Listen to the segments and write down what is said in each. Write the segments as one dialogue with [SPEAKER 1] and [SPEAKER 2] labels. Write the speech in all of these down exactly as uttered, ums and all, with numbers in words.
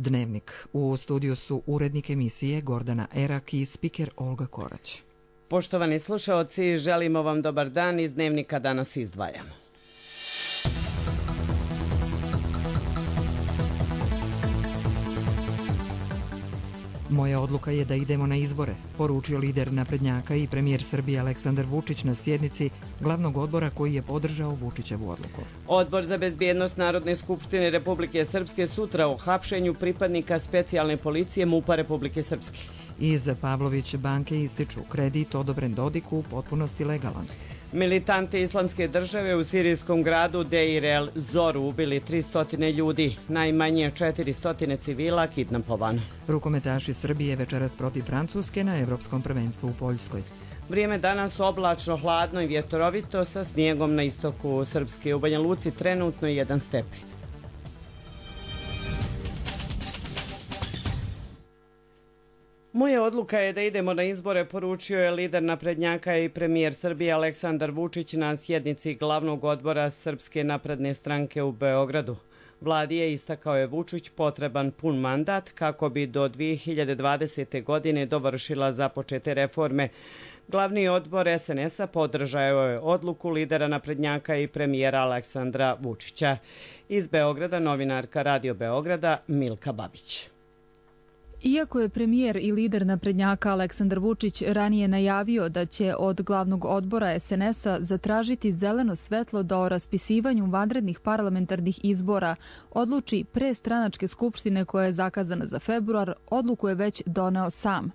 [SPEAKER 1] Dnevnik. U studiju su urednik emisije Gordana Erak i spiker Olga Korać.
[SPEAKER 2] Poštovani slušaoci, želimo vam dobar dan. Iz Dnevnika danas izdvajamo.
[SPEAKER 1] Moja odluka je da idemo na izbore, poručio lider naprednjaka i premijer Srbije Aleksandar Vučić na sjednici glavnog odbora koji je podržao Vučićevu odluku.
[SPEAKER 2] Odbor za bezbjednost Narodne skupštine Republike Srpske sutra o hapšenju pripadnika specijalne policije MUP-a Republike Srpske.
[SPEAKER 1] Iz Pavlović banke ističu kredit odobren Dodiku u potpunosti legalan.
[SPEAKER 2] Militante islamske države u sirijskom gradu Deir el Zoru ubili tristo ljudi, najmanje četiristo civila kidnapovano.
[SPEAKER 1] Rukometaši Srbije večeras protiv Francuske na Evropskom prvenstvu u Poljskoj.
[SPEAKER 2] Vrijeme danas oblačno, hladno i vjetrovito sa snijegom na istoku Srpske. U Banja Luci trenutno jedan stepen. Moja odluka je da idemo na izbore, poručio je lider naprednjaka i premijer Srbije Aleksandar Vučić na sjednici glavnog odbora Srpske napredne stranke u Beogradu. Vladi je, istakao je Vučić, potreban pun mandat kako bi do dvije hiljade dvadesete. godine dovršila započete reforme. Glavni odbor es en es-a podržao je odluku lidera naprednjaka i premijera Aleksandra Vučića. Iz Beograda novinarka Radio Beograda Milka Babić.
[SPEAKER 3] Iako je premijer i lider naprednjaka Aleksandar Vučić ranije najavio da će od glavnog odbora es en es-a zatražiti zeleno svetlo da o raspisivanju vanrednih parlamentarnih izbora odluči pre stranačke skupštine koja je zakazana za februar, odluku je već doneo sam.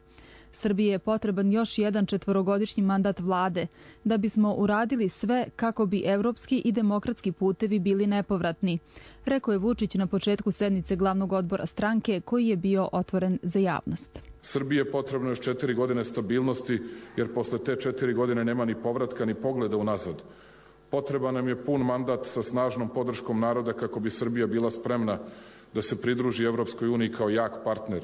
[SPEAKER 3] Srbiji je potreban još jedan četvorogodišnji mandat vlade, da bismo uradili sve kako bi evropski i demokratski putevi bili nepovratni, rekao je Vučić na početku sednice glavnog odbora stranke koji je bio otvoren za javnost.
[SPEAKER 4] Srbiji je potrebno još četiri godine stabilnosti, jer posle te četiri godine nema ni povratka ni pogleda unazad. Potreban nam je pun mandat sa snažnom podrškom naroda kako bi Srbija bila spremna da se pridruži Evropskoj uniji kao jak partner.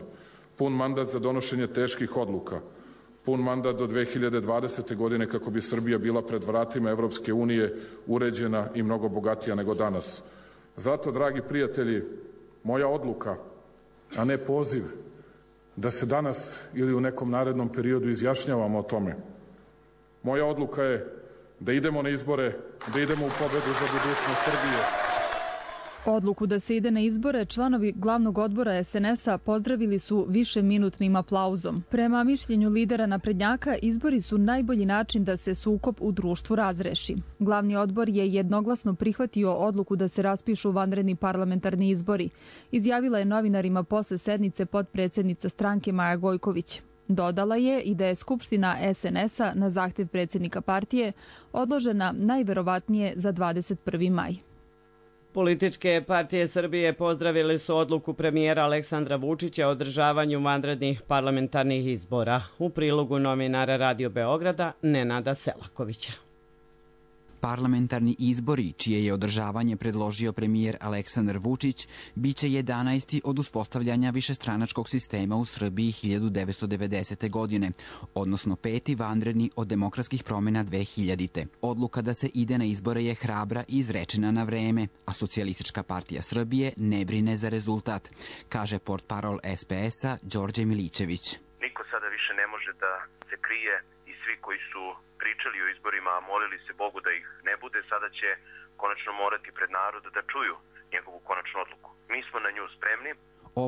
[SPEAKER 4] Pun mandat za donošenje teških odluka, pun mandat do dve hiljade dvadesete. godine kako bi Srbija bila pred vratima Evropske unije uređena i mnogo bogatija nego danas. Zato, dragi prijatelji, moja odluka, a ne poziv, da se danas ili u nekom narednom periodu izjašnjavamo o tome. Moja odluka je da idemo na izbore, da idemo u pobedu za budućnost Srbije.
[SPEAKER 3] Odluku da se ide na izbore članovi glavnog odbora es en es-a pozdravili su višeminutnim aplauzom. Prema mišljenju lidera naprednjaka, izbori su najbolji način da se sukob u društvu razreši. Glavni odbor je jednoglasno prihvatio odluku da se raspišu vanredni parlamentarni izbori, izjavila je novinarima posle sednice potpredsednica stranke Maja Gojković. Dodala je i da je skupština es en es-a na zahtev predsjednika partije odložena najverovatnije za dvadeset prvi maj.
[SPEAKER 2] Političke partije Srbije pozdravili su odluku premijera Aleksandra Vučića o održavanju vanrednih parlamentarnih izbora. U prilogu novinara Radio Beograda Nenada Selakovića.
[SPEAKER 5] Parlamentarni izbori, čije je održavanje predložio premijer Aleksandar Vučić, biće jedanaesti od uspostavljanja višestranačkog sistema u Srbiji hiljadu devetsto devedesete. godine, odnosno peti vanredni od demokratskih promjena dve hiljadite. Odluka da se ide na izbore je hrabra i izrečena na vreme, a Socijalistička partija Srbije ne brine za rezultat, kaže portparol es pe es-a Đorđe Milićević.
[SPEAKER 6] Niko sada više ne može da se krije i svi koji su pričali o izborima, a molili se Bogu da ih ne bude, sada će konačno morati pred narod da čuju njegovu konačnu odluku. Mi smo na nju spremni.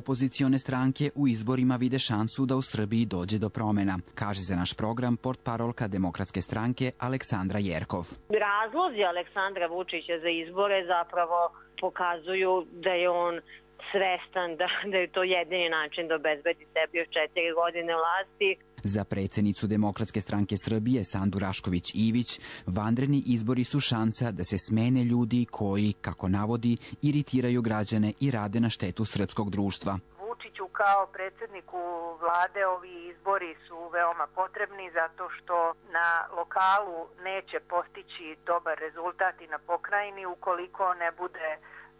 [SPEAKER 5] Opozicione stranke u izborima vide šansu da u Srbiji dođe do promjena, kaže za naš program portparolka Demokratske stranke Aleksandra Jerkov.
[SPEAKER 7] Razlozi Aleksandra Vučića za izbore zapravo pokazuju da je on svestan da, da je to jedini način da obezbedi sebi još četiri godine vlasti.
[SPEAKER 5] Za predsjednicu Demokratske stranke Srbije Sandu Rašković-Ivić, vanredni izbori su šansa da se smene ljudi koji, kako navodi, iritiraju građane i rade na štetu srpskog društva.
[SPEAKER 7] Vučiću kao predsjedniku vlade ovi izbori su veoma potrebni zato što na lokalu neće postići dobar rezultat i na pokrajini ukoliko ne bude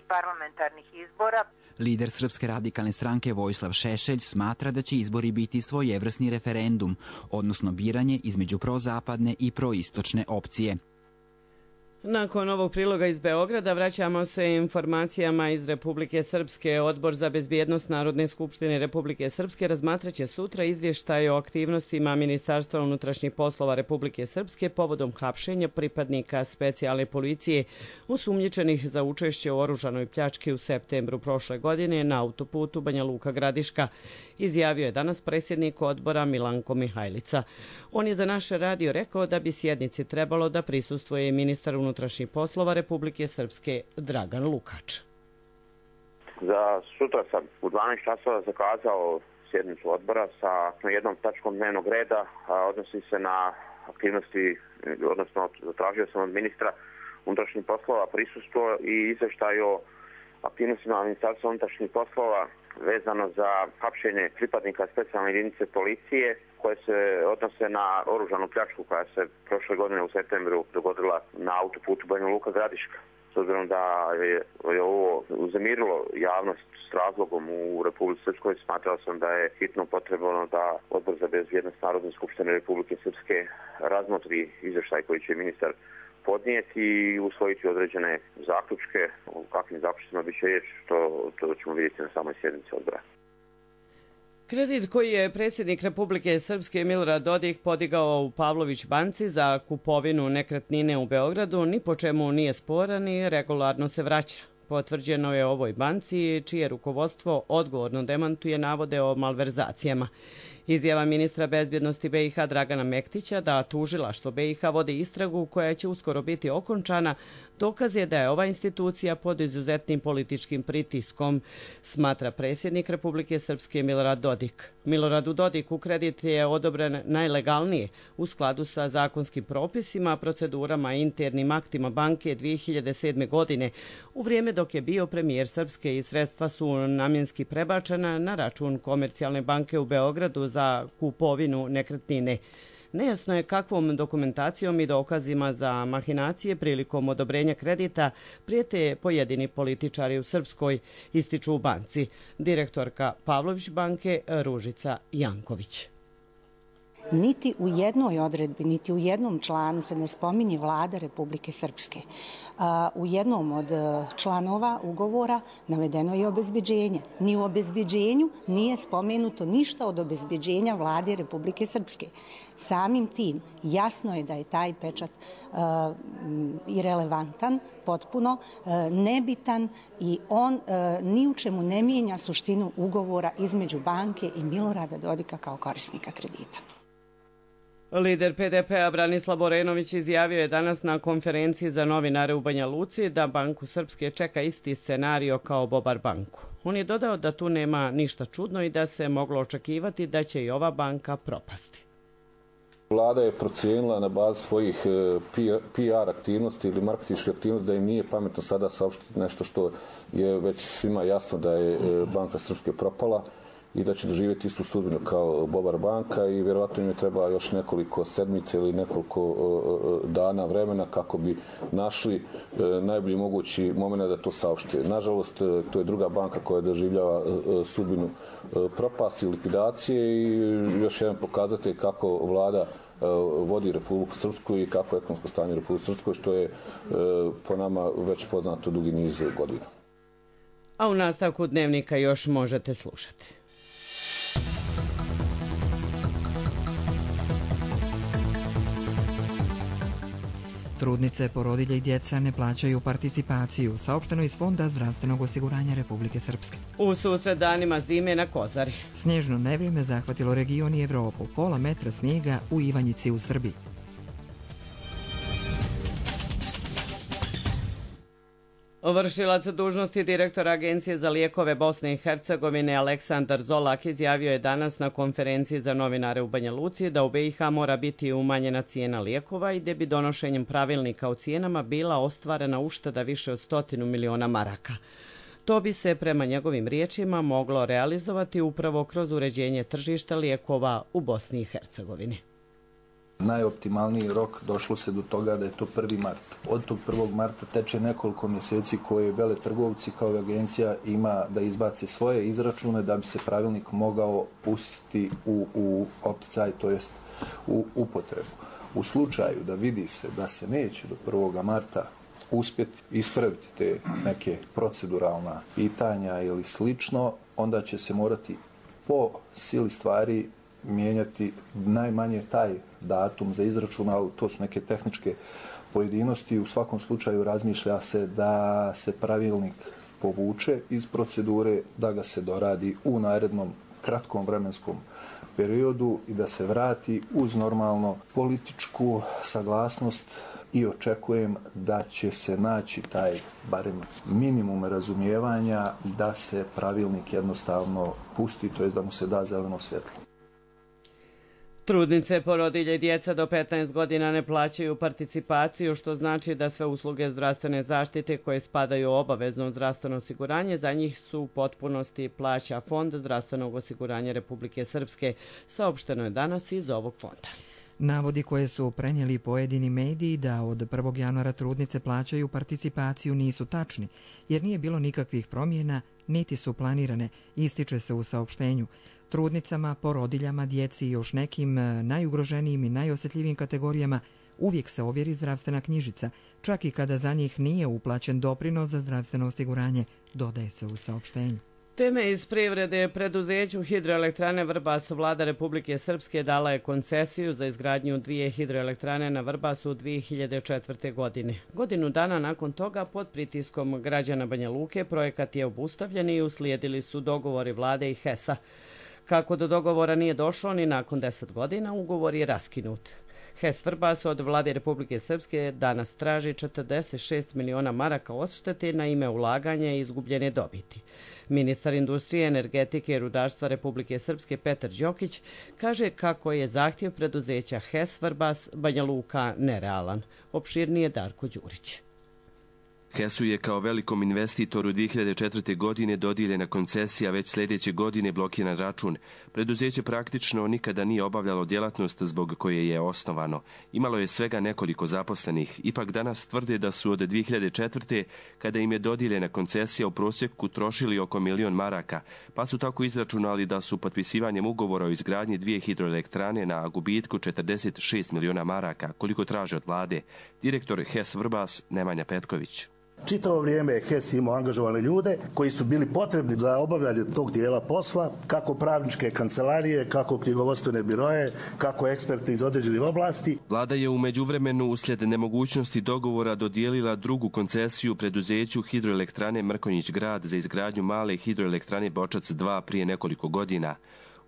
[SPEAKER 7] parlamentarnih izbora.
[SPEAKER 5] Lider Srpske radikalne stranke Vojislav Šešelj smatra da će izbori biti svojevrsni referendum, odnosno biranje između prozapadne i proistočne opcije.
[SPEAKER 2] Nakon ovog priloga iz Beograda vraćamo se informacijama iz Republike Srpske. Odbor za bezbjednost Narodne skupštine Republike Srpske razmatraće sutra izvještaj o aktivnostima Ministarstva unutrašnjih poslova Republike Srpske povodom hapšenja pripadnika specijalne policije osumnjičenih za učešće u oružanoj pljački u septembru prošle godine na autoputu Banja Luka Gradiška, izjavio je danas predsjednik odbora Milanko Mihajlica. On je za naš radio rekao da bi sjednici trebalo da prisustvuje ministar unutrašnjih poslova Republike Srpske Dragan Lukač.
[SPEAKER 8] Za sutra sam u dvanaest časova zakazao sjednicu odbora sa jednom tačkom dnevnog reda, a odnosi se na aktivnosti, odnosno zatražio sam od ministra unutrašnjih poslova prisustvo i izvještaj o aktivnostima Ministarstva unutrašnjih poslova vezano za hapšenje pripadnika specijalne jedinice policije koje se odnose na oružanu pljačku koja se prošle godine u septembru dogodila na autoputu Banja Luka Gradiška. S obzirom da je, je ovo uzemirilo javnost s razlogom u Republici Srpskoj, smatrao sam da je hitno potrebno da Odbor za bezbjednost Narodne skupštine Republike Srpske razmotri izvještaj koji će ministar podnijeti i usvojiti određene zaključke. O kakvim zaključcima bi će riječ, to, to ćemo vidjeti na samoj sjednici odbora.
[SPEAKER 2] Kredit koji je predsjednik Republike Srpske Milorad Dodik podigao u Pavlović banci za kupovinu nekretnine u Beogradu ni po čemu nije sporan i regularno se vraća. Potvrđeno je ovoj banci, čije rukovodstvo odgovorno demantuje navode o malverzacijama. Izjava ministra bezbjednosti B i H Dragana Mektića da tužilaštvo B i H vodi istragu koja će uskoro biti okončana dokaz je da je ova institucija pod izuzetnim političkim pritiskom, smatra predsjednik Republike Srpske Milorad Dodik. Miloradu Dodiku kredit je odobren najlegalnije u skladu sa zakonskim propisima, procedurama i internim aktima banke dvije hiljade sedme. godine, u vrijeme dok je bio premijer Srpske i sredstva su namjenski prebačena na račun Komercijalne banke u Beogradu za kupovinu nekretnine. Nejasno je kakvom dokumentacijom i dokazima za mahinacije prilikom odobrenja kredita prijete pojedini političari u Srpskoj, ističu u banci. Direktorka Pavlović banke Ružica Janković.
[SPEAKER 9] Niti u jednoj odredbi, niti u jednom članu se ne spominje Vlada Republike Srpske. U jednom od članova ugovora navedeno je obezbeđenje. Ni u obezbeđenju nije spomenuto ništa od obezbeđenja Vlade Republike Srpske. Samim tim jasno je da je taj pečat uh, irelevantan, potpuno uh, nebitan i on uh, ni u čemu ne mijenja suštinu ugovora između banke i Milorada Dodika kao korisnika kredita.
[SPEAKER 2] Lider P D P-a Branislav Borenović izjavio je danas na konferenciji za novinare u Banja Luci da Banku Srpske čeka isti scenario kao Bobar banku. On je dodao da tu nema ništa čudno i da se moglo očekivati da će i ova banka propasti.
[SPEAKER 10] Vlada je procijenila na bazi svojih P R aktivnosti ili marketinške aktivnosti da im nije pametno sada saopštiti nešto što je već svima jasno da je Banka Srpske propala i da će doživjeti istu sudbinu kao Bobar banka i vjerovatno im je treba još nekoliko sedmice ili nekoliko dana vremena kako bi našli najbolji mogući moment da to saopšte. Nažalost, to je druga banka koja doživljava sudbinu propasti i likvidacije i još jedan pokazatelj kako vlada vodi Republiku Srpsku i kako je ekonomsko stanje u Republiku Srpskoj, što je po nama već poznato dugi niz godina.
[SPEAKER 2] A u nastavku dnevnika još možete slušati.
[SPEAKER 1] Trudnice, porodilje i djeca ne plaćaju participaciju, saopšteno iz Fonda zdravstvenog osiguranja Republike Srpske.
[SPEAKER 2] U susret danima zime na Kozari.
[SPEAKER 1] Snježno nevrijeme zahvatilo region i Evropu, pola metra snijega u Ivanjici u Srbiji.
[SPEAKER 2] Vršilac dužnosti direktora Agencije za lijekove Bosne i Hercegovine Aleksandar Zolak izjavio je danas na konferenciji za novinare u Banja Luci da u B i H mora biti umanjena cijena lijekova i da bi donošenjem pravilnika o cijenama bila ostvarena ušteda više od stotinu miliona maraka. To bi se, prema njegovim riječima, moglo realizovati upravo kroz uređenje tržišta lijekova u Bosni i Hercegovini.
[SPEAKER 11] Najoptimalniji rok došlo se do toga da je to prvi mart. Od tog prvog marta teče nekoliko mjeseci koje veletrgovci kao i agencija ima da izbace svoje izračune da bi se pravilnik mogao pustiti u, u opticaj, to jest u upotrebu. U slučaju da vidi se da se neće do prvog marta uspjeti ispraviti te neke proceduralna pitanja ili slično, onda će se morati po sili stvari mijenjati najmanje taj datum za izračun, ali to su neke tehničke pojedinosti. U svakom slučaju razmišlja se da se pravilnik povuče iz procedure, da ga se doradi u narednom kratkom vremenskom periodu i da se vrati uz normalno političku saglasnost i očekujem da će se naći taj barem minimum razumijevanja da se pravilnik jednostavno pusti, to je da mu se da zeleno svjetlo.
[SPEAKER 2] Trudnice, porodilje i djeca do petnaest godina ne plaćaju participaciju, što znači da sve usluge zdravstvene zaštite koje spadaju u obavezno zdravstveno osiguranje za njih su u potpunosti plaća Fond zdravstvenog osiguranja Republike Srpske, saopšteno je danas iz ovog fonda.
[SPEAKER 1] Navodi koje su prenijeli pojedini mediji da od prvog januara trudnice plaćaju participaciju nisu tačni, jer nije bilo nikakvih promjena, niti su planirane, ističe se u saopštenju. Trudnicama, porodiljama, djeci i još nekim najugroženijim i najosjetljivijim kategorijama uvijek se ovjeri zdravstvena knjižica, čak i kada za njih nije uplaćen doprinos za zdravstveno osiguranje, dodaje se u saopštenju.
[SPEAKER 2] Teme iz privrede. Preduzeću hidroelektrane Vrbas vlada Republike Srpske dala je koncesiju za izgradnju dvije hidroelektrane na Vrbasu u dvije hiljade četvrte. godine. Godinu dana nakon toga, pod pritiskom građana Banja Luke, projekat je obustavljen i uslijedili su dogovori vlade i H E S-a. Kako do dogovora nije došlo ni nakon deset godina, ugovor je raskinut. H E S Vrbas od vlade Republike Srpske danas traži četrdeset šest miliona maraka odštete na ime ulaganja i izgubljene dobiti. Ministar industrije, energetike i rudarstva Republike Srpske Petar Đokić kaže kako je zahtjev preduzeća H E S Vrbas Banja Luka nerealan. Opširnije Darko Đurić.
[SPEAKER 12] H E S-u je kao velikom investitoru dvije hiljade četvrte. godine dodijeljena koncesija, već sljedeće godine blokiran račun. Preduzeće praktično nikada nije obavljalo djelatnost zbog koje je osnovano. Imalo je svega nekoliko zaposlenih. Ipak danas tvrde da su od dvije hiljade četvrte. kada im je dodijeljena koncesija u prosjeku trošili oko milion maraka, pa su tako izračunali da su potpisivanjem ugovora o izgradnji dvije hidroelektrane na gubitku četrdeset šest miliona maraka, koliko traže od vlade. Direktor H E S Vrbas Nemanja Petković.
[SPEAKER 13] Čitavo vrijeme je H E S imao angažovane ljude koji su bili potrebni za obavljanje tog dijela posla, kako pravničke kancelarije, kako knjigovodstvene biroje, kako eksperti iz određenih oblasti.
[SPEAKER 12] Vlada je u međuvremenu uslijed nemogućnosti dogovora dodijelila drugu koncesiju preduzeću hidroelektrane Mrkonjić Grad za izgradnju male hidroelektrane Bočac dva prije nekoliko godina.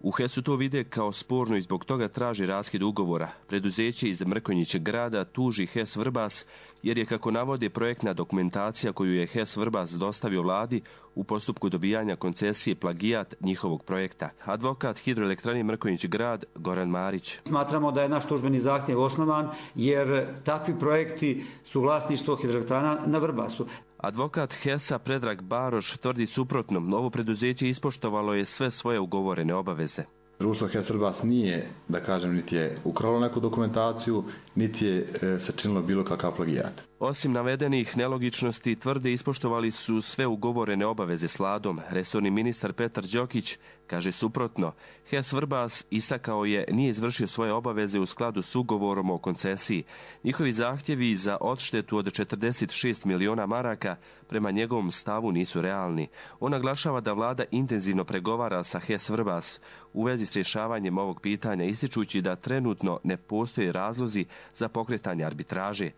[SPEAKER 12] U H E S-u to vide kao sporno i zbog toga traži raskid ugovora. Preduzeće iz Mrkonjić Grada tuži H E S Vrbas jer je, kako navode, projektna dokumentacija koju je H E S Vrbas dostavio vladi u postupku dobijanja koncesije plagijat njihovog projekta. Advokat hidroelektrane Mrkonjić Grad Goran Marić.
[SPEAKER 14] Smatramo da je naš tužbeni zahtjev osnovan jer takvi projekti su vlasništvo hidroelektrana na Vrbasu.
[SPEAKER 12] Advokat H E S-a Predrag Baroš tvrdi suprotno. Novo preduzeće ispoštovalo je sve svoje ugovorene obaveze.
[SPEAKER 15] Društvo H E S Vrbas nije, da kažem, niti je ukralo neku dokumentaciju, niti je e, sačinilo bilo kakav plagijat.
[SPEAKER 12] Osim navedenih nelogičnosti, tvrde ispoštovali su sve ugovorene obaveze s vladom. Resorni ministar Petar Đokić kaže suprotno. H E S Vrbas istakao je nije izvršio svoje obaveze u skladu s ugovorom o koncesiji. Njihovi zahtjevi za odštetu od četrdeset šest miliona maraka prema njegovom stavu nisu realni. On naglašava da vlada intenzivno pregovara sa H E S Vrbas u vezi s rješavanjem ovog pitanja, ističući da trenutno ne postoje razlozi za pokretanje arbitraže.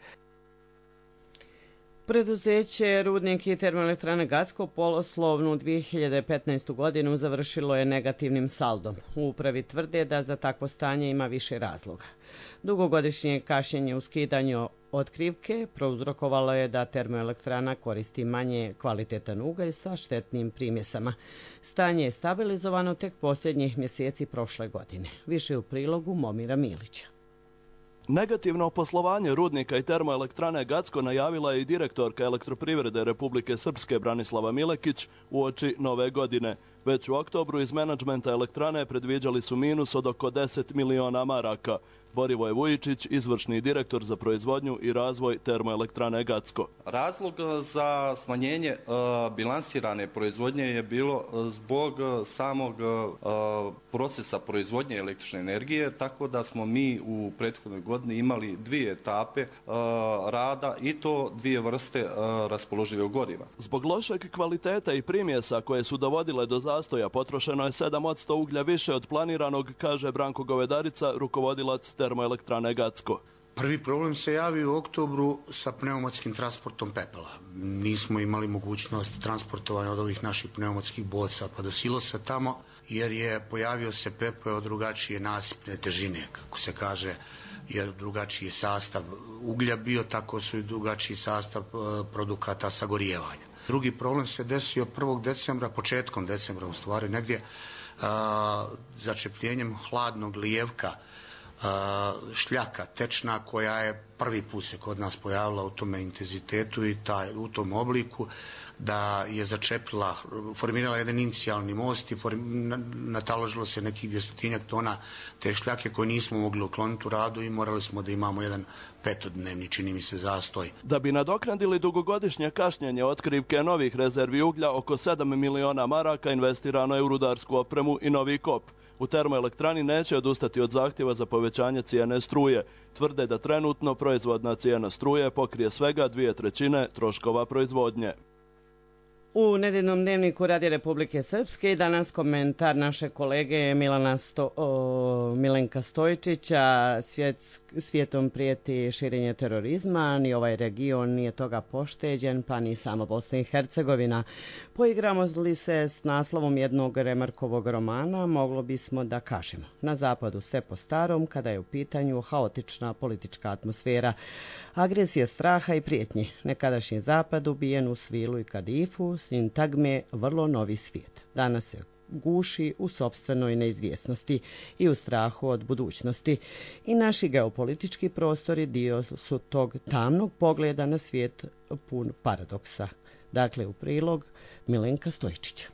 [SPEAKER 2] Preduzeće Rudnik i termoelektrane Gacko poslovnu dvije hiljade petnaestu. godinu završilo je negativnim saldom. U upravi tvrde da za takvo stanje ima više razloga. Dugogodišnje kašnjenje u skidanju otkrivke prouzrokovalo je da termoelektrana koristi manje kvalitetan ugalj sa štetnim primjesama. Stanje je stabilizovano tek posljednjih mjeseci prošle godine. Više u prilogu Momira Milića.
[SPEAKER 16] Negativno poslovanje Rudnika i termoelektrane Gacko najavila je i direktorka Elektroprivrede Republike Srpske Branislava Milekić uoči nove godine. Već u oktobru iz menadžmenta elektrane predviđali su minus od oko deset miliona maraka. Borivoje Vujičić, izvršni direktor za proizvodnju i razvoj termoelektrane Gacko.
[SPEAKER 17] Razlog za smanjenje uh, bilansirane proizvodnje je bilo zbog samog uh, procesa proizvodnje električne energije, tako da smo mi u prethodnoj godini imali dvije etape uh, rada i to dvije vrste uh, raspoloživog goriva.
[SPEAKER 16] Zbog lošeg kvaliteta i primjesa koje su dovodile do zastoja potrošeno je sedam posto uglja više od planiranog, kaže Branko Govedarica, rukovodilac termoelektrane Gacko.
[SPEAKER 18] Prvi problem se javio u oktobru sa pneumatskim transportom pepela. Nismo imali mogućnost transportovanja od ovih naših pneumatskih boca pa do silosa tamo, jer je pojavio se pepeo od drugačije nasipne težine, kako se kaže, jer drugačiji je sastav uglja bio, tako su i drugačiji sastav produkata sagorijevanja. Drugi problem se desio prvog decembra, početkom decembra u stvari, negdje a, začepljenjem hladnog lijevka, šljaka tečna koja je prvi put se kod nas pojavila u tome intenzitetu i taj, u tom obliku, da je začepila, formirala jedan inicijalni most i form, nataložilo se nekih dvjestotinjak tona te šljake koje nismo mogli ukloniti u radu i morali smo da imamo jedan petodnevni, čini mi se, zastoj.
[SPEAKER 16] Da bi nadoknadili dugogodišnje kašnjenje otkrivke novih rezervi uglja, oko sedam miliona maraka investirano je u rudarsku opremu i novi kop. U termoelektrani neće odustati od zahtjeva za povećanje cijene struje. Tvrde da trenutno proizvodna cijena struje pokrije svega dvije trećine troškova proizvodnje.
[SPEAKER 2] U nedeljnom dnevniku Radija Republike Srpske danas komentar naše kolege Milana Sto, o, Milenka Stojčića. Svijet, svijetom prijeti širenje terorizma, ni ovaj region nije toga pošteđen, pa ni sama Bosna i Hercegovina. Poigramo li se s naslovom jednog Remarkovog romana, moglo bismo da kažemo: na zapadu sve po starom, kada je u pitanju haotična politička atmosfera, agresija straha i prijetnji. Nekadašnji zapad ubijen u Svilu i Kadifu, sintagme vrlo novi svijet. Danas se guši u sopstvenoj neizvjesnosti i u strahu od budućnosti. I naši geopolitički prostori dio su tog tamnog pogleda na svijet pun paradoksa. Dakle, u prilog Milenka Stojčića.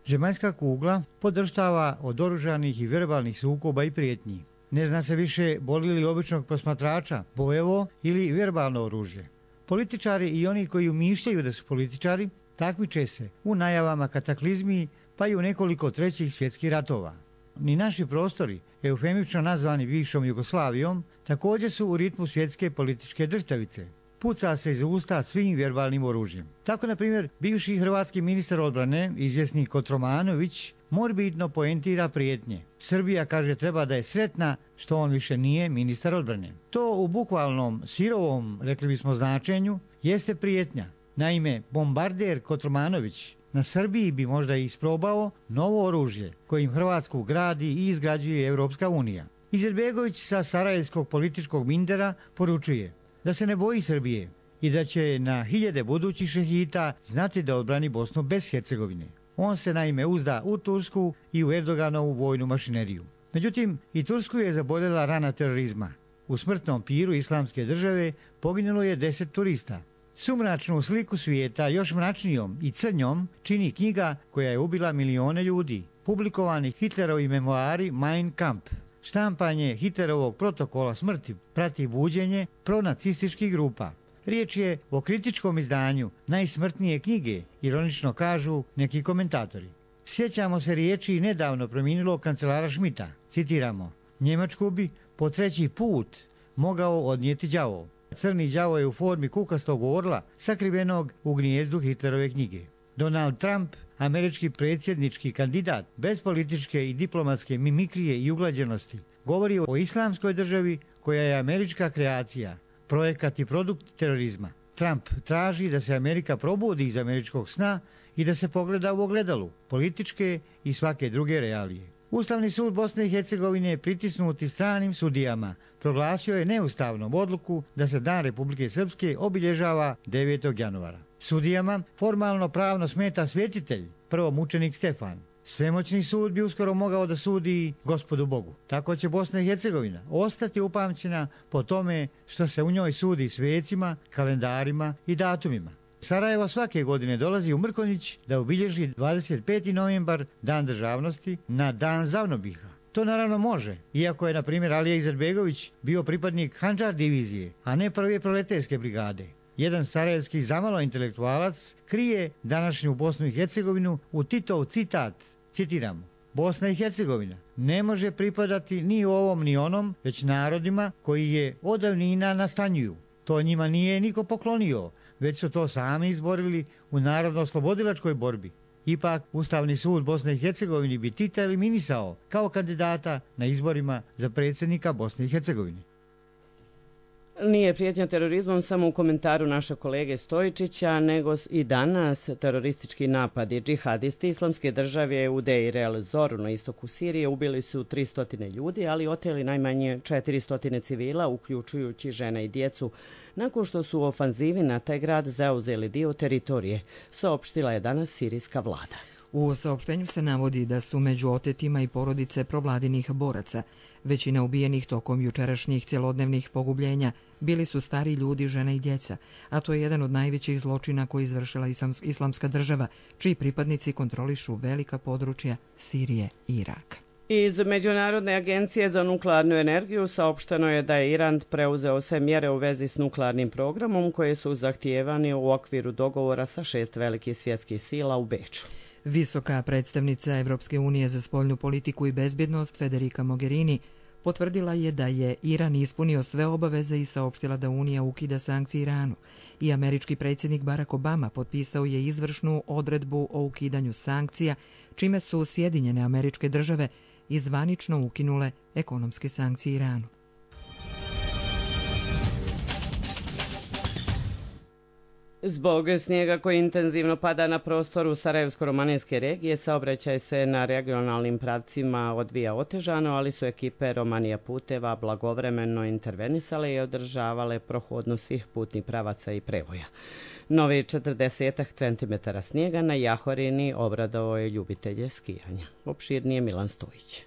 [SPEAKER 19] Zemaljska kugla podrštava od oružanih i verbalnih sukoba i prijetnji. Ne zna se više boli li običnog posmatrača bojevo ili verbalno oružje. Političari i oni koji umišljaju da su političari takmiče se u najavama kataklizmi, pa i u nekoliko trećih svjetskih ratova. Ni naši prostori, eufemično nazvani bivšom Jugoslavijom, također su u ritmu svjetske političke drhtavice. Puca se iz usta svim verbalnim oružjem. Tako, na primjer, bivši hrvatski ministar odbrane, izvjesni Kotromanović, morbidno poentira prijetnje. Srbija, kaže, treba da je sretna što on više nije ministar odbrane. To u bukvalnom sirovom, rekli bismo, značenju jeste prijetnja. Naime, bombarder Kotromanović na Srbiji bi možda isprobao novo oružje kojim Hrvatsku gradi i izgrađuje Europska unija. Izetbegović sa sarajevskog političkog mindera poručuje da se ne boji Srbije i da će na hiljade budućih šehita znati da odbrani Bosnu bez Hercegovine. On se naime uzda u Tursku i u Erdoganovu vojnu mašineriju. Međutim, i Tursku je zaboljela rana terorizma. U smrtnom piru islamske države poginulo je deset turista. Sumračnu sliku svijeta još mračnijom i crnjom čini knjiga koja je ubila milione ljudi. Publikovani Hitlerovi memoari Mein Kampf. Štampanje Hitlerovog protokola smrti prati buđenje pronacističkih grupa. Riječ je o kritičkom izdanju najsmrtnije knjige, ironično kažu neki komentatori. Sjećamo se riječi nedavno preminulog kancelara Schmidta. Citiramo: Njemačku bi po treći put mogao odnijeti đavo. Crni đavo je u formi kukastog orla sakrivenog u gnijezdu Hitlerove knjige. Donald Trump, američki predsjednički kandidat, bez političke i diplomatske mimikrije i uglađenosti, govori o islamskoj državi koja je američka kreacija, projekat i produkt terorizma. Trump traži da se Amerika probudi iz američkog sna i da se pogleda u ogledalu političke i svake druge realije. Ustavni sud Bosne i Hercegovine, pritisnuti stranim sudijama, proglasio je neustavnom odluku da se Dan Republike Srpske obilježava devetog januara. Sudijama formalno pravno smeta svjetitelj, prvomučenik Stefan. Svemoćni sud bi uskoro mogao da sudi Gospodu Bogu. Tako će Bosna i Hercegovina ostati upamćena po tome što se u njoj sudi svecima, kalendarima i datumima. Sarajevo svake godine dolazi u Mrkonjić da obilježi dvadeset peti novembar, dan državnosti, na dan Zavnobiha. To naravno može, iako je, na primjer, Alija Izetbegović bio pripadnik Handžar divizije, a ne prve proleterske brigade. Jedan sarajevski zamalo intelektualac krije današnju Bosnu i Hercegovinu u Titov citat, citiramo: Bosna i Hercegovina ne može pripadati ni ovom ni onom, već narodima koji je od davnina nastanjuju. To njima nije niko poklonio, već su to sami izborili u narodno-oslobodilačkoj borbi. Ipak, Ustavni sud Bosne i Hercegovine bi Tita eliminisao kao kandidata na izborima za predsjednika Bosne i Hercegovine.
[SPEAKER 2] Nije prijetnja terorizmom samo u komentaru našeg kolege Stojičića, nego i danas teroristički napadi. Džihadisti Islamske države u Deir el-Zoru na istoku Sirije ubili su tristo ljudi, ali oteli najmanje četiristo civila, uključujući žene i djecu, nakon što su u ofanzivi na taj grad zauzeli dio teritorije, saopštila je danas sirijska vlada.
[SPEAKER 1] U saopštenju se navodi da su među otetima i porodice provladinih boraca. Većina ubijenih tokom jučerašnjih cjelodnevnih pogubljenja bili su stari ljudi, žene i djeca, a to je jedan od najvećih zločina koji izvršila Islamska država, čiji pripadnici kontrolišu velika područja Sirije i Iraka.
[SPEAKER 2] Iz Međunarodne agencije za nuklearnu energiju saopšteno je da je Iran preuzeo sve mjere u vezi s nuklearnim programom koje su zahtijevani u okviru dogovora sa šest velikih svjetskih sila u Beču.
[SPEAKER 1] Visoka predstavnica Evropske unije za spoljnu politiku i bezbjednost Federica Mogherini potvrdila je da je Iran ispunio sve obaveze i saopštila da Unija ukida sankcije Iranu. I američki predsjednik Barack Obama potpisao je izvršnu odredbu o ukidanju sankcija, čime su Sjedinjene Američke Države i zvanično ukinule ekonomske sankcije Iranu.
[SPEAKER 2] Zbog snijega koji intenzivno pada na prostoru Sarajevsko-romanijske regije, saobraćaj se na regionalnim pravcima odvija otežano, ali su ekipe Romanija puteva blagovremeno intervenisale i održavale prohodnost svih putnih pravaca i prevoja. Novi četrdesetak centimetara snijega na Jahorini obradovao je ljubitelje skijanja. Opširnije Milan Stojić.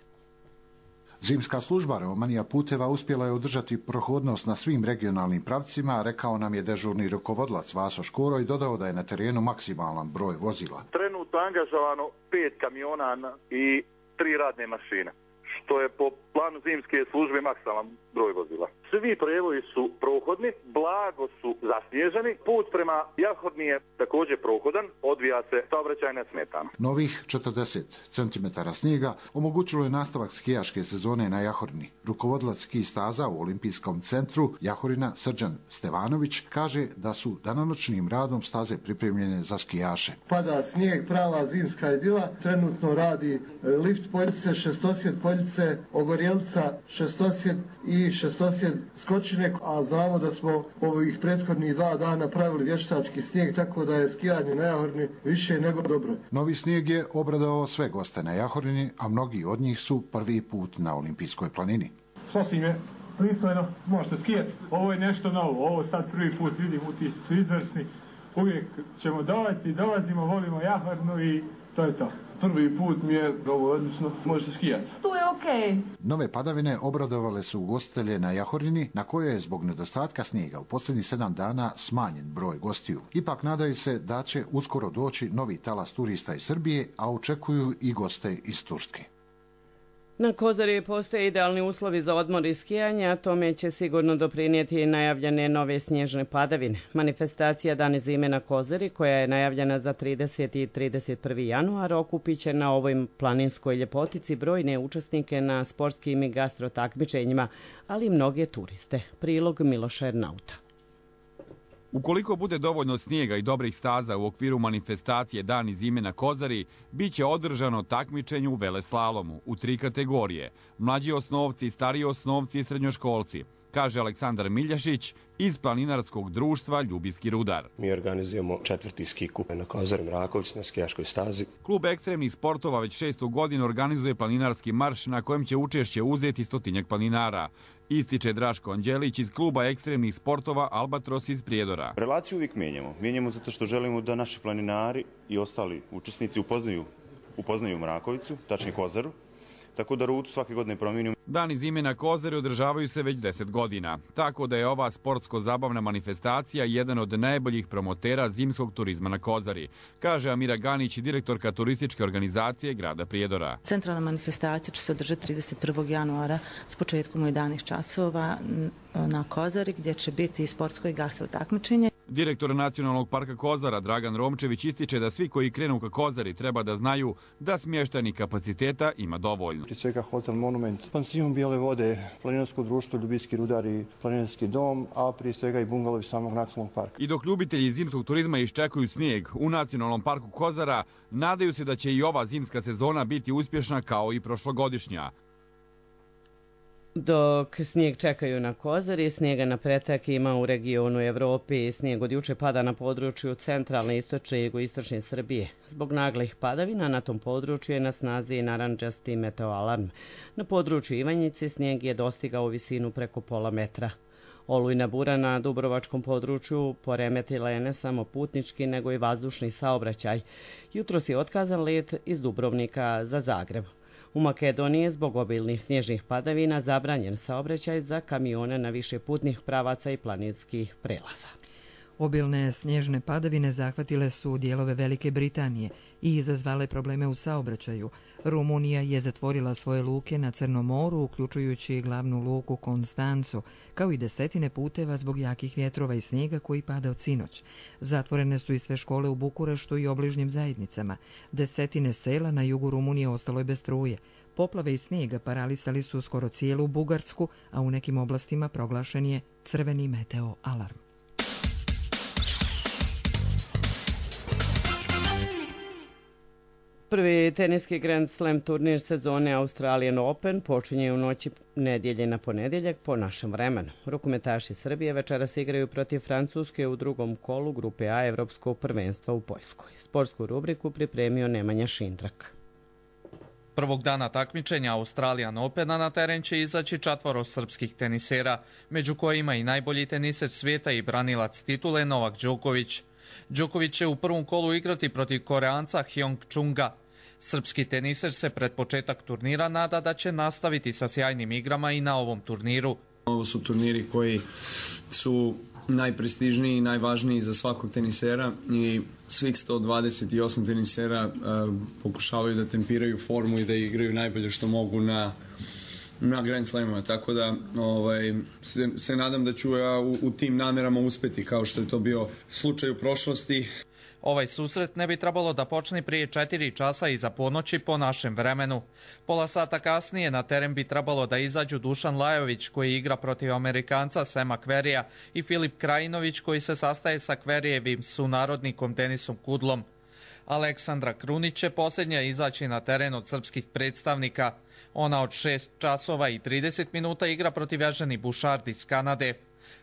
[SPEAKER 20] Zimska služba Romanija puteva uspjela je održati prohodnost na svim regionalnim pravcima, rekao nam je dežurni rukovodilac Vaso Škoro i dodao da je na terenu maksimalan broj vozila.
[SPEAKER 21] Trenutno angažovano pet kamiona i tri radne mašine, što je po planu zimske službe maksimalan broj vozila. Svi prevoji su prohodni, blago su zasnježeni, put prema Jahorni je također prohodan, odvija se saobraćaj nesmetano.
[SPEAKER 20] Novih četrdeset centimetara snijega omogućilo je nastavak skijaške sezone na Jahorni. Rukovodilac ski staza u Olimpijskom centru Jahorina Srđan Stevanović kaže da su danonoćnim radom staze pripremljene za skijaše.
[SPEAKER 22] Pada snijeg, prava zimska idila, trenutno radi lift Poljice, šestosjed Poljice, Ogorjelca, šestosjed i šestosjed Skočinek, a znamo da smo ovih prethodnih dva dana pravili vještački snijeg, tako da je skijanje na Jahorni više nego dobro.
[SPEAKER 20] Novi snijeg je obradovao sve goste na Jahorini, a mnogi od njih su prvi put na Olimpijskoj planini.
[SPEAKER 23] Sasvim je pristojno, možete skijati. Ovo je nešto novo, ovo sad prvi put vidim, utisci su izvrsni. Uvijek ćemo dolaziti, dolazimo, volimo Jahornu i to je to. Prvi put mi je ovo odlično, možete skijati.
[SPEAKER 24] Tu je okej. Okay.
[SPEAKER 20] Nove padavine obradovale su ugostitelje na Jahorini, na kojoj je zbog nedostatka snijega u posljednjih sedam dana smanjen broj gostiju. Ipak nadaju se da će uskoro doći novi talas turista iz Srbije, a očekuju i goste iz Turske.
[SPEAKER 2] Na Kozari postoje idealni uslovi za odmor i skijanje, a tome će sigurno doprinijeti i najavljene nove snježne padavine. Manifestacija Dani zime na Kozari, koja je najavljena za trideseti i trideset prvi januar, okupit će na ovoj planinskoj ljepotici brojne učesnike na sportskim i gastro takmičenjima, ali i mnoge turiste. Prilog Miloša Ernauta.
[SPEAKER 25] Ukoliko bude dovoljno snijega i dobrih staza u okviru manifestacije Dani zime na Kozari, bit će održano takmičenje u veleslalomu u tri kategorije, mlađi osnovci, stariji osnovci i srednjoškolci, kaže Aleksandar Miljašić iz planinarskog društva Ljubijski rudar.
[SPEAKER 26] Mi organizujemo četvrti ski kup na Kozari Mraković na skijaškoj stazi.
[SPEAKER 25] Klub ekstremnih sportova već šestu godinu organizuje planinarski marš na kojem će učešće uzeti stotinjak planinara. Ističe Draško Anđelić iz kluba ekstremnih sportova Albatros iz Prijedora.
[SPEAKER 27] Relaciju uvijek mijenjamo. Mijenjamo zato što želimo da naši planinari i ostali učesnici upoznaju, upoznaju Mrakovicu, tačnije Kozaru, tako da rutu svake godine promijenimo.
[SPEAKER 25] Dani zime na Kozari održavaju se već deset godina, tako da je ova sportsko-zabavna manifestacija jedan od najboljih promotera zimskog turizma na Kozari, kaže Amira Ganić, direktorka turističke organizacije grada Prijedora.
[SPEAKER 3] Centralna manifestacija će se održati trideset prvog januara s početkom u jedanaest časova na Kozari, gdje će biti i sportsko i gastro takmičenje.
[SPEAKER 25] Direktor Nacionalnog parka Kozara Dragan Romčević ističe da svi koji krenu ka Kozari treba da znaju da smještajnih kapaciteta ima dovoljno.
[SPEAKER 4] Prije svega Hotel Monument, Pansion Bijele vode, Planinarsko društvo Ljubijski rudari, Planinarski dom, a prije svega i bungalovi samog nacionalnog parka.
[SPEAKER 25] I dok ljubitelji zimskog turizma iščekuju snijeg u Nacionalnom parku Kozara, nadaju se da će i ova zimska sezona biti uspješna kao i prošlogodišnja.
[SPEAKER 2] Dok snijeg čekaju na Kozari, snijega na pretek ima u regionu Evropi. Snijeg od juče pada na području centralne, istočne i jugoistočne Srbije. Zbog naglih padavina na tom području je na snazi narandžasti meteoalarm. Na području Ivanjice snijeg je dostigao visinu preko pola metra. Olujna bura na Dubrovačkom području poremetila je ne samo putnički, nego i vazdušni saobraćaj. Jutros je otkazan let iz Dubrovnika za Zagreb. U Makedoniji je zbog obilnih snježnih padavina zabranjen saobraćaj za kamione na više putnih pravaca i planinskih prelaza.
[SPEAKER 1] Obilne snježne padavine zahvatile su dijelove Velike Britanije i izazvale probleme u saobraćaju. Rumunija je zatvorila svoje luke na Crnom moru, uključujući glavnu luku Konstancu, kao i desetine puteva zbog jakih vjetrova i snijega koji pada od sinoć. Zatvorene su i sve škole u Bukureštu i obližnjim zajednicama. Desetine sela na jugu Rumunije ostalo je bez struje. Poplave i snijega paralisali su skoro cijelu Bugarsku, a u nekim oblastima proglašen je crveni meteo alarm.
[SPEAKER 2] Prvi teniski Grand Slam turnir sezone Australian Open počinje u noći nedjelje na ponedjeljak po našem vremenu. Rukometaši Srbije večeras igraju protiv Francuske u drugom kolu grupe A Evropskog prvenstva u Poljskoj. Sportsku rubriku pripremio Nemanja Šindrak.
[SPEAKER 5] Prvog dana takmičenja Australian Opena na teren će izaći četvoro srpskih tenisera, među kojima i najbolji teniser svijeta i branilac titule Novak Đoković. Đoković će u prvom kolu igrati protiv Koreanca Hyong Chunga. Srpski teniser se pred početak turnira nada da će nastaviti sa sjajnim igrama i na ovom turniru.
[SPEAKER 6] Ovo su turniri koji su najprestižniji i najvažniji za svakog tenisera i svih sto dvadeset osam tenisera uh, pokušavaju da tempiraju formu i da igraju najbolje što mogu na na Grand Slamima, tako da ovaj, se, se nadam da ću ja u, u tim namjerama uspjeti kao što je to bio slučaj u prošlosti.
[SPEAKER 5] Ovaj susret ne bi trebalo da počne prije četiri časa iza ponoći po našem vremenu. Pola sata kasnije na teren bi trebalo da izađu Dušan Lajović koji igra protiv Amerikanca Sema Kverija i Filip Krajinović koji se sastaje sa Kverijevim sunarodnikom Denisom Kudlom. Aleksandra Krunić će posljednja izaći na teren od srpskih predstavnika. Ona od šest časova i trideset minuta igra protiv Eženi Bušard iz Kanade.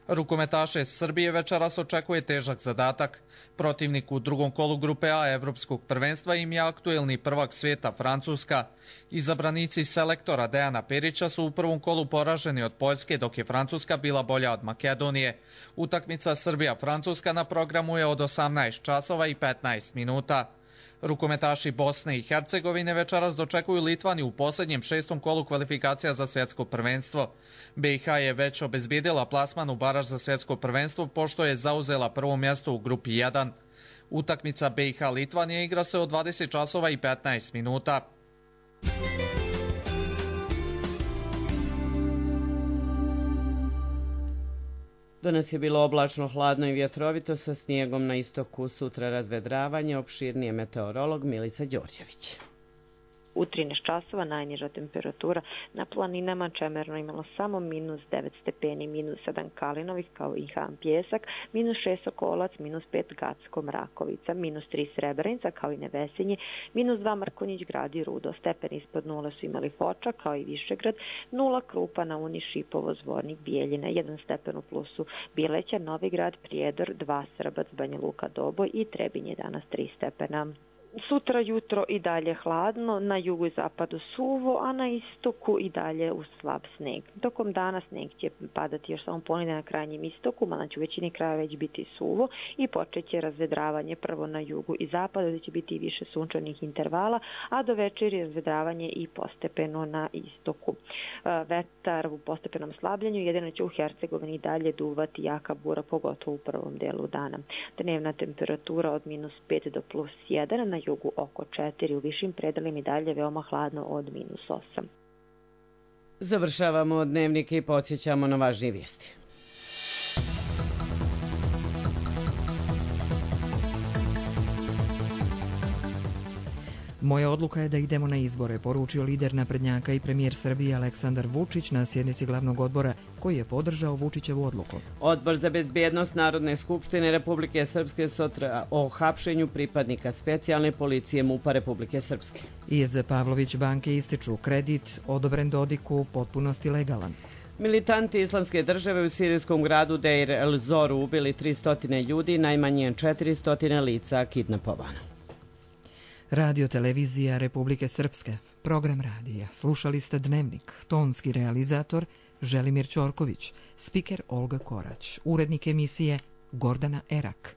[SPEAKER 5] Rukometaše Srbije večeras očekuje težak zadatak. Protivnik u drugom kolu grupe A Evropskog prvenstva im je aktuelni prvak svijeta Francuska. Izabranici selektora Dejana Perića su u prvom kolu poraženi od Poljske, dok je Francuska bila bolja od Makedonije. Utakmica Srbija-Francuska na programu je od osamnaest časova i petnaest minuta. Rukometaši Bosne i Hercegovine večeras dočekuju Litvaniju u posljednjem šestom kolu kvalifikacija za svjetsko prvenstvo. B i H je već obezbijedila plasman u baraž za svjetsko prvenstvo pošto je zauzela prvo mjesto u grupi jedan. Utakmica B i H Litvanije igra se od dvadeset časova i petnaest minuta.
[SPEAKER 2] Danas je bilo oblačno, hladno i vjetrovito sa snijegom na istoku, sutra razvedravanje, opširnije meteorolog Milica Đorđević.
[SPEAKER 7] U trinaest časova najniža temperatura na planinama Čemerno imalo samo minus devet stepeni, minus sedam Kalinovih kao i Han Pjesak, minus šest Sokolac, minus pet Gacko Mrakovica, minus tri Srebrenica kao i Nevesinje, minus dva Mrkonjić Grad i Rudo. Stepeni ispod nule su imali Foča kao i Višegrad, nula Krupa, Nauni, Šipovo, Zvornik, Bijeljina, jedan stepen u plusu Bileća, Novi Grad, Prijedor, dva Srbac, Banja Luka, Doboj i Trebinje danas tri stepena. Sutra jutro i dalje hladno, na jugu i zapadu suvo, a na istoku i dalje uz slab sneg. Tokom dana sneg će padati još samo ponegdje na krajnjem istoku, mada će u većini kraja već biti suvo i počet će razvedravanje prvo na jugu i zapadu, gdje će biti više sunčanih intervala, a do večeri razvedravanje i postepeno na istoku. Vetar u postepenom slabljenju, jedino će u Hercegovini dalje duvati jaka bura, pogotovo u prvom delu dana. Dnevna temperatura od minus pet do plus jedan, na jugu oko četiri, u višim predelima i dalje veoma hladno od minus osam.
[SPEAKER 2] Završavamo dnevnike i podsjećamo na važnije vijesti.
[SPEAKER 1] Moja odluka je da idemo na izbore, poručio lider naprednjaka i premijer Srbije Aleksandar Vučić na sjednici glavnog odbora koji je podržao Vučićevu odluku.
[SPEAKER 2] Odbor za bezbjednost Narodne skupštine Republike Srpske sutra o hapšenju pripadnika specijalne policije MUP-a Republike Srpske.
[SPEAKER 1] Iz Pavlović banke ističu kredit odobren Dodiku u potpunosti legalan.
[SPEAKER 2] Militanti islamske države u sirijskom gradu Deir el-Zoru ubili tristo ljudi, najmanje četiristo lica kidnapovano.
[SPEAKER 1] Radio televizija Republike Srpske, program radija. Slušali ste Dnevnik, tonski realizator Želimir Ćorković, spiker Olga Korać, urednik emisije Gordana Erak.